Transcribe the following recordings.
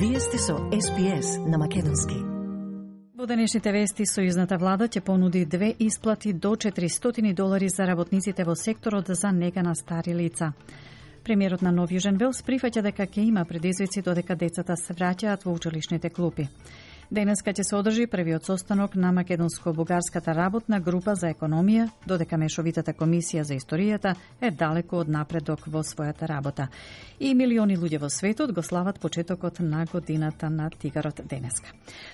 Вие сте со SPS на македонски. Во денешните вести, сојузната влада ќе понуди 2 исплати до $400 за работниците во секторот за нега на стари лица. Премиерот на Нов Јужен Велс прифаќа дека ќе има предизвици додека децата се враќаат во училишните клупи. Денеска ќе се одржи првиот состанок на македонско-бугарската работна група за економија, додека Мешовитата комисија за историјата е далеку од напредок во својата работа. И милиони луѓе во светот го слават почетокот на годината на тигарот денеска.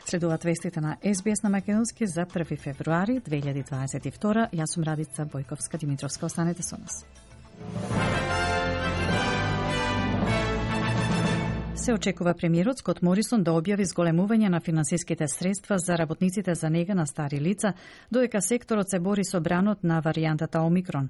Следуваат вестите на SBS на македонски за 1 февруари 2022. Јас сум Радица Бојковска-Димитровска. Останете со нас. Се очекува премиерот Скот Морисон да објави зголемување на финансиските средства за работниците за нега на стари лица, додека секторот се бори со бранот на варијантата Омикрон.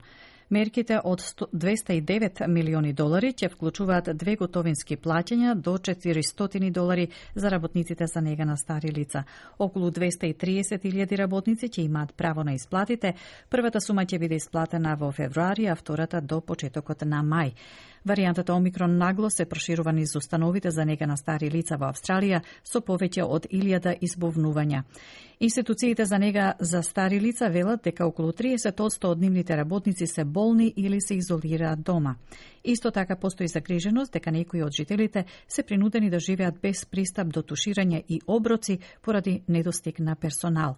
Мерките од $209 милиони ќе вклучуваат 2 готовински плаќања до $400 за работниците за нега на стари лица. Околу 230.000 работници ќе имаат право на исплатите. Првата сума ќе биде исплатена во февруари, а втората до почетокот на мај. Варијантата Омикрон нагло се проширува низ установите за нега на стари лица во Австралија со повеќе од 1000 избовнувања. Институциите за нега за стари лица велат дека околу 30% од нивните работници се болни или се изолираат дома. Исто така постои загриженост дека некои од жителите се принудени да живеат без пристап до туширање и оброци поради недостиг на персонал.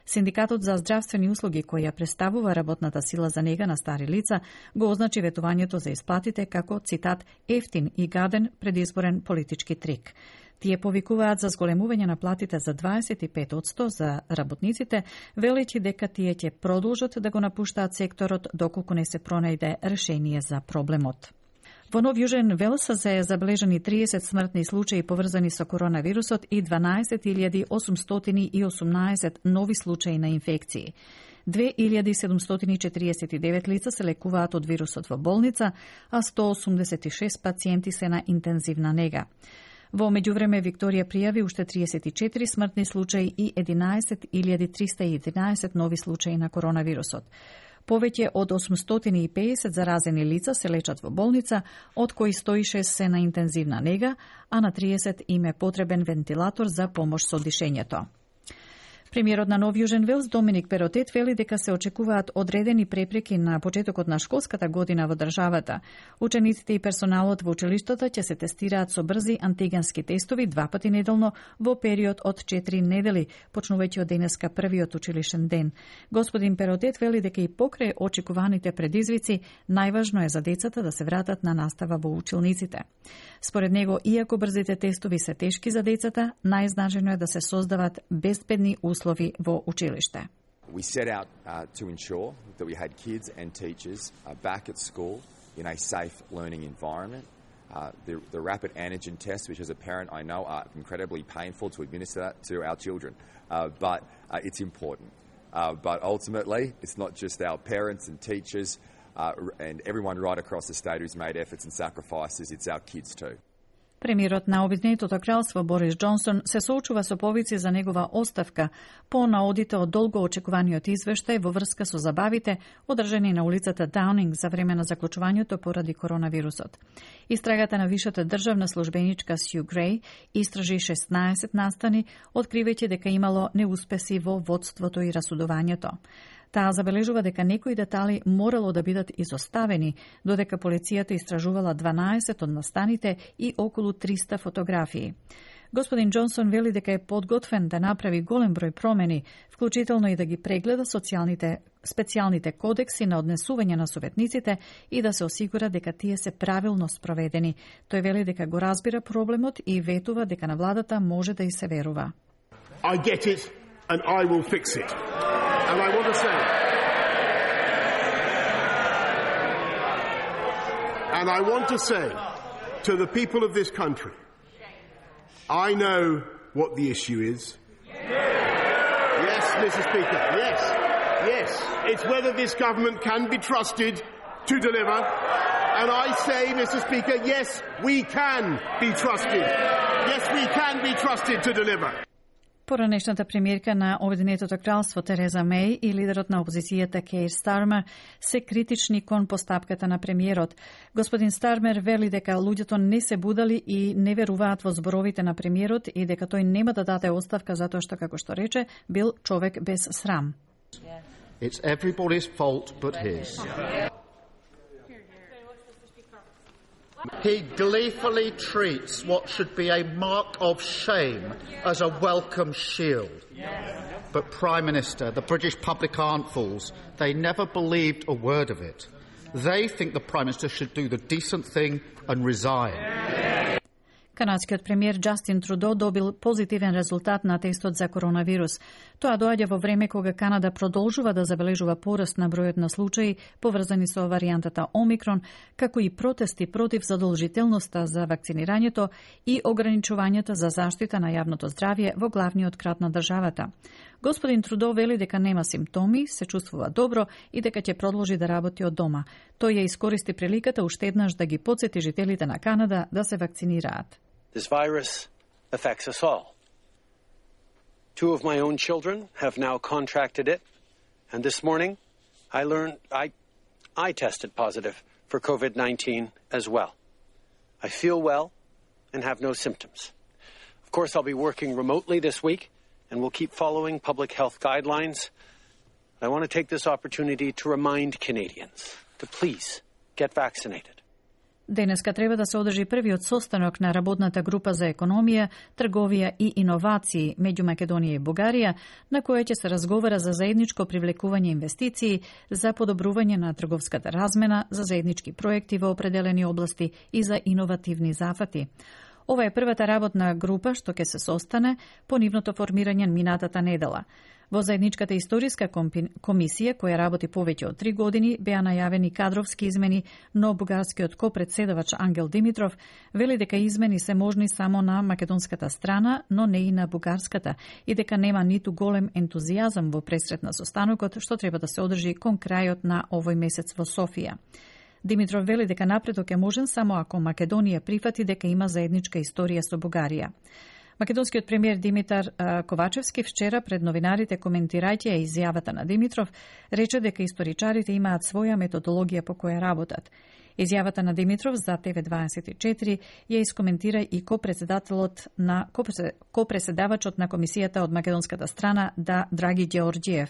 Синдикатот за здравствени услуги, кој ја представува работната сила за нега на стари лица, го означи ветувањето за исплатите како, цитат, ефтин и гаден предизборен политички трик. Тие повикуваат за зголемување на платите за 25% за работниците, велејќи дека тие ќе продолжат да го напуштаат секторот доколку не се пронајде решение за проблемот. Во Нов Јужен Велс се забележани 30 смртни случаи поврзани со коронавирусот и 12.818 нови случаи на инфекции. 2749 лица се лекуваат од вирусот во болница, а 186 пациенти се на интензивна нега. Во меѓувреме Викторија пријави уште 34 смртни случаи и 11.311 нови случаи на коронавирусот. Повеќе од 850 заразени лица се лечат во болница, од кои 106 се на интензивна нега, а на 30 им е потребен вентилатор за помош со дишењето. Премиерот на Нов Јужен Велс Доминик Перотет вели дека се очекуваат одредени препреки на почетокот на школската година во државата. Учениците и персоналот во училиштата ќе се тестираат со брзи антигенски тестови 2 пати неделно во период од 4 недели, почнувајќи од денеска првиот училишен ден. Господин Перотет вели дека и покрај очекуваните предизвици, најважно е за децата да се вратат на настава во училниците. Според него, иако брзите тестови се тешки за децата, најзначајно е да се создават безбедни услови во училиште. We set out to ensure that we had kids and teachers back at school in a safe learning environment. The rapid antigen tests, which as a parent I know are incredibly painful to administer that to our children, but it's important. But ultimately, it's not just our parents and teachers and everyone right across the state who's made efforts and sacrifices, it's our kids too. Премиерот на Обединетото кралство Борис Џонсон се соочува со повици за негова оставка по наодите од долго очекуваниот извештај во врска со забавите одржани на улицата Даунинг за време на заклучувањето поради коронавирусот. Истрагата на вишата државна службеничка Сју Греј истражи 16 настани, откривајќи дека имало неуспеси во водството и расудувањето. Таа забележува дека некои детали морало да бидат изоставени, додека полицијата истражувала 12 од настаните и околу 300 фотографии. Господин Џонсон вели дека е подготвен да направи голем број промени, вклучително и да ги прегледа специјалните кодекси на однесување на советниците и да се осигура дека тие се правилно спроведени. Тој вели дека го разбира проблемот и ветува дека на владата може да и се верува. I get it and I will fix it. And I want to say to the people of this country, I know what the issue is. Yes, Mr. Speaker, yes. It's whether this government can be trusted to deliver. And I say, Mr. Speaker, yes, we can be trusted. Yes, we can be trusted to deliver. Поранешната премиерка на Обединетото кралство Тереза Меј и лидерот на опозицијата Кейр Стармер се критични кон постапката на премиерот. Господин Стармер вели дека луѓето не се будали и не веруваат во зборовите на премиерот и дека тој нема да даде оставка затоа што, како што рече, бил човек без срам. It's everybody's fault but his. He gleefully treats what should be a mark of shame as a welcome shield. But Prime Minister, the British public aren't fools. They never believed a word of it. They think the Prime Minister should do the decent thing and resign. Канадскиот премиер Џастин Трудо добил позитивен резултат на тестот за коронавирус. Тоа доаѓа во време кога Канада продолжува да забележува пораст на бројот на случаи поврзани со варијантата Омикрон, како и протести против задолжителноста за вакцинирањето и ограничувањата за заштита на јавното здравје во главниот град на државата. Господин Трудо вели дека нема симптоми, се чувствува добро и дека ќе продолжи да работи од дома. Тој ја искористи приликата уште еднаш да ги потсети жителите на Канада да се вакцинираат. This virus affects us all. 2 of my own children have now contracted it, and this morning I learned I tested positive for COVID-19 as well. I feel well and have no symptoms. Of course, I'll be working remotely this week, and we'll keep following public health guidelines. I want to take this opportunity to remind Canadians to please get vaccinated. Денеска треба да се одржи првиот состанок на работната група за економија, трговија и иновации меѓу Македонија и Бугарија, на која ќе се разговара за заедничко привлекување инвестиции, за подобрување на трговската размена, за заеднички проекти во определени области и за иновативни зафати. Ова е првата работна група што ќе се состане по нивното формирање минатата недела. Во заедничката историска комисија, која работи повеќе од 3 години, беа најавени кадровски измени, но бугарскиот копредседавач Ангел Димитров вели дека измени се можни само на македонската страна, но не и на бугарската, и дека нема ниту голем ентузијазам во пресрет на состанокот, што треба да се одржи кон крајот на овој месец во Софија. Димитров вели дека напредок е можен само ако Македонија прифати дека има заедничка историја со Бугарија. Македонскиот премиер Димитар Ковачевски вчера пред новинарите, коментирајќи ја изјавата на Димитров, рече дека историчарите имаат своја методологија по која работат. Изјавата на Димитров за ТВ24 ја искоментира и копреседавачот на комисијата од македонската страна Драги Ѓеорѓиев.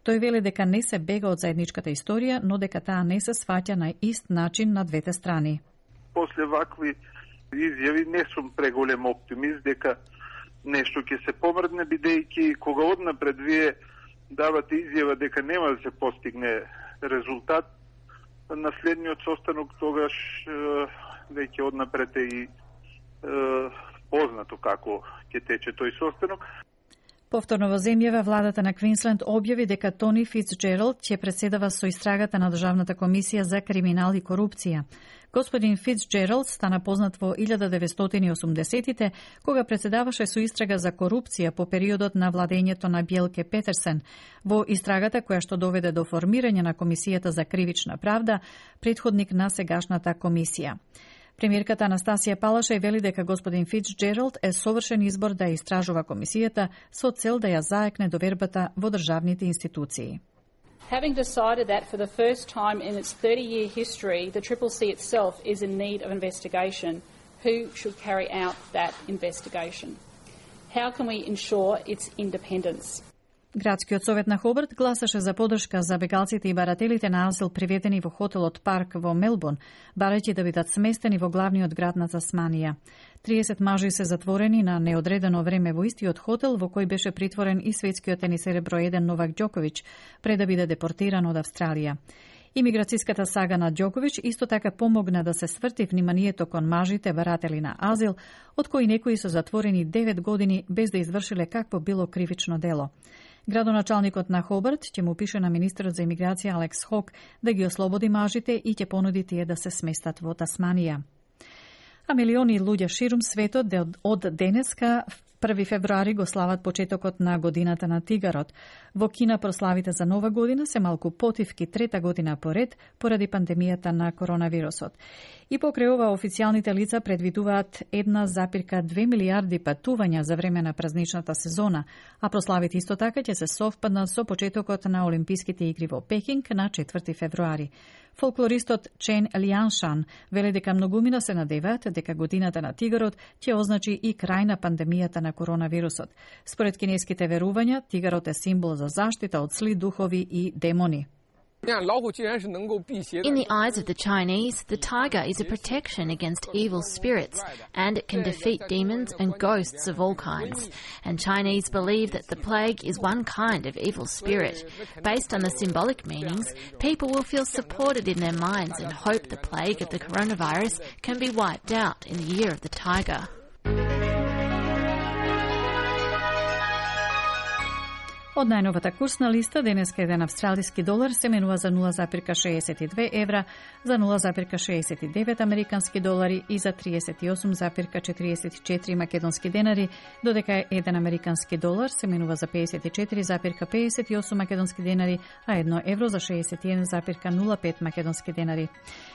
Тој вели дека не се бега од заедничката историја, но дека таа не се сваќа на ист начин на двете страни. После вакви изјави не сум преголем оптимист дека нешто ќе се помрдне, бидејќи кога однапред вие давате изјава дека нема да се постигне резултат, на следниот состанок тогаш веќе однапред е и познато како ќе тече тој состанок. Повторно во земјава, владата на Квинсленд објави дека Тони Фицџералд ќе преседава со истрагата на Државната комисија за криминал и корупција. Господин Фицџералд стана познат во 1980-тите, кога преседаваше со истрага за корупција по периодот на владењето на Бјелке Петерсен. Во истрагата која што доведе до формирање на Комисијата за кривична правда, претходник на сегашната комисија. Премиерката Анастасија Палаша вели дека господин Фицџералд е совршен избор да истражува комисијата со цел да ја заекне довербата во државните институции. Having decided that for the first time in its 30-year history, the CCC itself is in need of investigation, who should carry out that investigation? How can we ensure its independence? Градскиот совет на Хобарт гласаше за подршка за бегалците и барателите на азил приведени во хотелот Парк во Мелбурн, барајќи да бидат сместени во главниот град на Тасманија. 30 мажи се затворени на неодредено време во истиот хотел во кој беше притворен и светскиот тенисер број 1 Новак Ѓоковиќ пред да биде депортиран од Австралија. Имиграцијската сага на Ѓоковиќ исто така помогна да се сврти вниманието кон мажите баратели на азил, од кои некои се затворени 9 години без да извршиле какво било кривично дело. Градоначалникот на Хобарт ќе му пише на министерот за имиграција Алекс Хок да ги ослободи мажите и ќе понуди тие да се сместат во Тасманија. А милиони луѓе ширум светот од денеска 1 февруари го слават почетокот на годината на тигарот. Во Кина прославите за Нова година се малку потивки трета година поред поради пандемијата на коронавирусот. И покрај ова официјалните лица предвидуваат 1,2 милијарди патувања за време на празничната сезона, а прославите исто така ќе се совпаднат со почетокот на Олимписките игри во Пекинг на 4 февруари. Фолклористот Чен Лијаншан вели дека многумина се надеваат дека годината на тигарот ќе означи и крај на пандемијата на коронавирусот. Според кинеските верувања, тигарот е символ за заштита од зли духови и демони. In the eyes of the Chinese, the tiger is a protection against evil spirits, and it can defeat demons and ghosts of all kinds. And Chinese believe that the plague is one kind of evil spirit. Based on the symbolic meanings, people will feel supported in their minds and hope the plague of the coronavirus can be wiped out in the year of the tiger. Од најновата курсна листа, денеска еден австралиски долар се менува за 0,62 евра, за 0,69 американски долари и за 38,44 македонски денари, додека еден американски долар се менува за 54,58 македонски денари, а 1 евро за 61,05 македонски денари.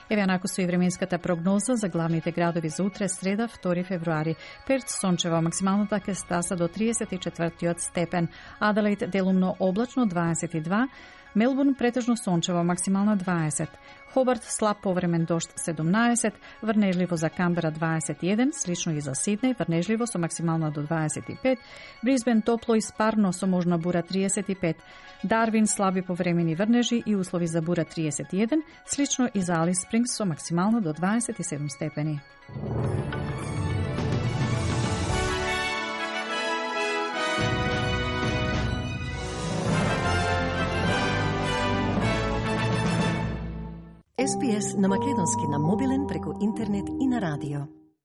Еве анаку со и временската прогноза за главните градови за утре, среда, 2 февруари. Перт сончево, максималната ќе стаса до 34 степен, Аделаид делумно облачно 22, Мелбурн претежно сончево, максимална 20, Хобарт слаб повремен дожд 17, врнежливо за Камбера 21, слично и за Сиднеј, врнежливо со максимална до 25, Брисбен топло и спарно со можна бура 35, Дарвин слаби повремени врнежи и услови за бура 31, слично и за Алис Спрингс со максимална до 27 степени. SPS на македонски на мобилен преку интернет и на радио.